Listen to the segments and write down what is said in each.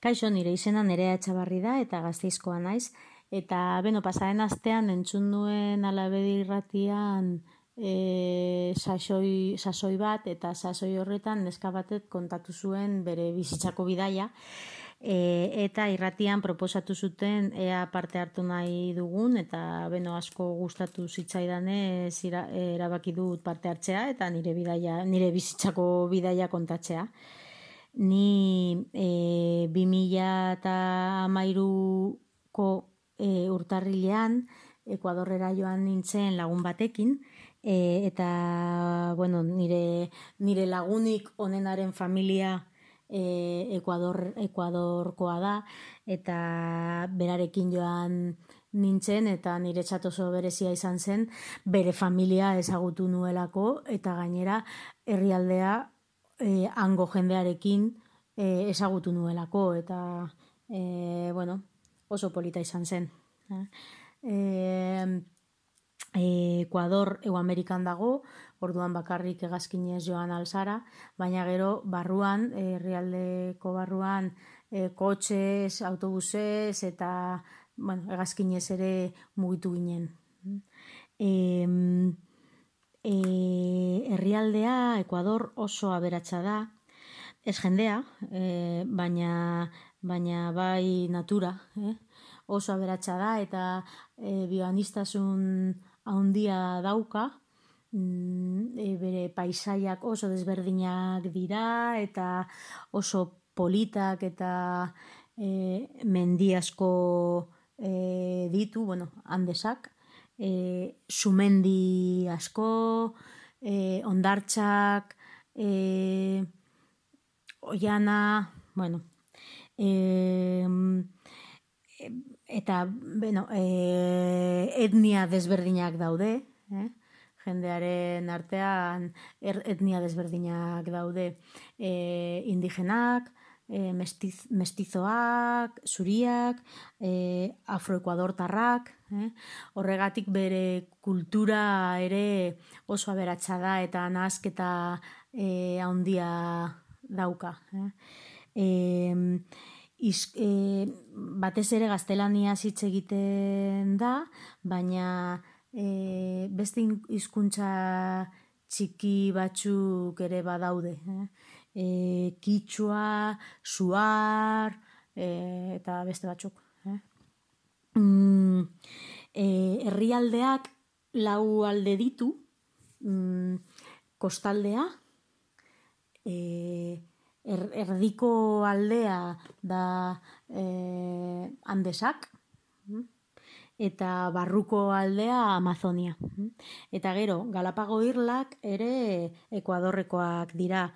Kaixo, nire izena Nerea Etxabarri da eta Gasteizkoa naiz. Eta, pasaren astean entzun nuen Alabedi irratian sasoi bat, eta sasoi horretan neska batek kontatu zuen bere bizitzako bidaia. Eta irratian proposatu zuten ea parte hartu nahi dugun, eta asko gustatu zitzaidanez erabaki dut parte hartzea eta nire bizitzako bidaia kontatzea. Ni 2013ko urtarrilean Ekuadorrera joan nintzen lagun batekin, eta nire lagunik onenaren familia Ekuadorkoa da, eta berarekin joan nintzen, eta niretzat oso berezia izan zen bere familia ezagutu nuelako, eta gainera herrialdea hango jendearekin ezagutu nuelako, eta oso polita izan zen. Ekuador Hego Amerikan dago, orduan bakarrik hegazkinez joan alzara, baina gero barruan, herrialdeko barruan, kotxez, autobusez eta hegazkinez ere mugitu ginen. Herrialdea Ekuador oso aberatsa da, ez jendea, baina bai natura, oso aberatsa da, eta bioaniztasun handia dauka, bere paisaiak oso desberdinak dira, eta oso politak, eta mendi asko ditu, Andesak, sumendi asko, hondartzak, oiana, eta etnia desberdinak daude, jendearen artean etnia desberdinak daude, indigenak, mestizoak, zuriak, afroekuadortarrak, horregatik bere kultura ere oso aberatsa da, eta nahasketa handia dauka. Batez ere gaztelaniaz hitz egiten da, baina beste hizkuntza txiki batzuk ere badaude. Kitxua, suar, eta beste batzuk. Herrialdeak 4 alde ditu, kostaldea, erdiko aldea da Andesak, eta barruko aldea Amazonia. Eta gero, Galapago irlak ere Ekuadorrekoak dira.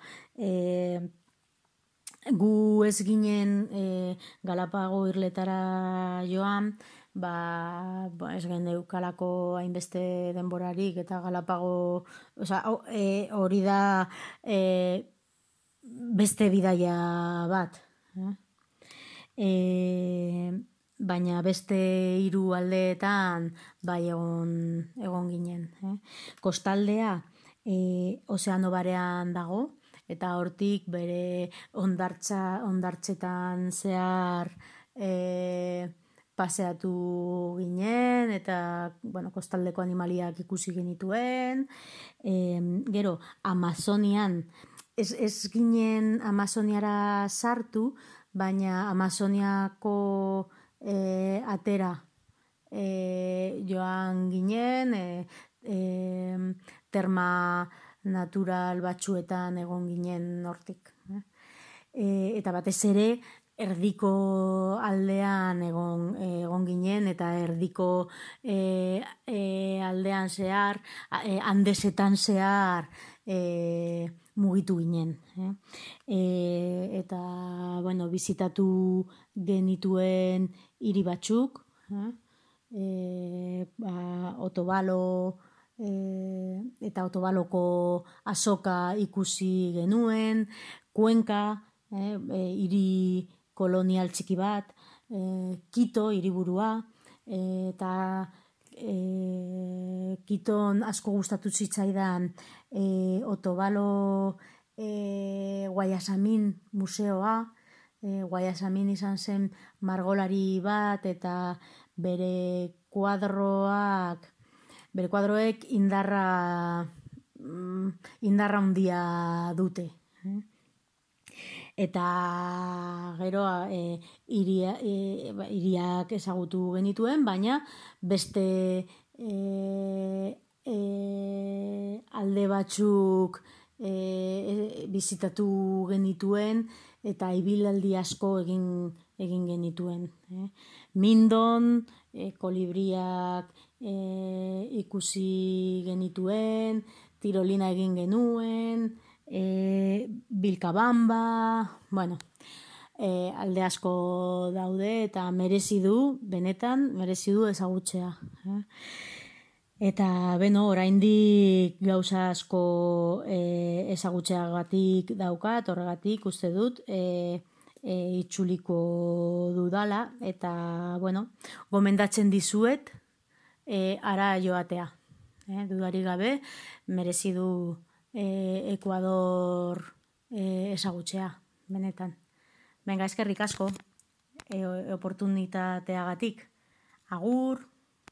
Gu ez ginen Galapago irletara joan, ez geneukalako hainbeste denborarik, eta Galapago, hori da beste bidaia bat. Baina beste 3 aldeetan bai egon ginen. Kostaldea ozeano barean dago, eta hortik bere hondartzetan zehar paseatu ginen, eta kostaldeko animaliak ikusi genituen. Gero, Amazonian, ez ginen Amazoniara sartu, baina Amazoniako atera joan ginen, terma natural batzuetan egon ginen hortik. Eta batez ere, erdiko aldean egon ginen, eta erdiko aldean zehar, Andesetan zehar mugitu ginen. Eta, bizitatu genituen hiri batzuk, Otobalo, eta Otobaloko azoka ikusi genuen, Kuenka, hiri kolonial txiki bat, Quito hiriburua, eta Quiton asko gustatu zitzaidan Otobalo Guayasamin museoa, Guayasamin izan zen margolari bat eta bere kuadroek indarra handia dute. Eta gero hiriak ezagutu genituen, baina beste alde batzuk bizitatu genituen eta ibilaldi asko egin genituen. Mindon, kolibriak ikusi genituen, tirolina egin genuen, Vilcabamba, alde asko daude eta benetan merezi du ezagutzea. Eta oraindik gauza asko ezagutzeagatik daukat, horregatik uste dut itzuliko dudala eta gomendatzen dizuet hara joatea. Dudarik gabe merezi du Ekuador ezagutzea, benetan. Eskerrik asko oportunitateagatik. Agur!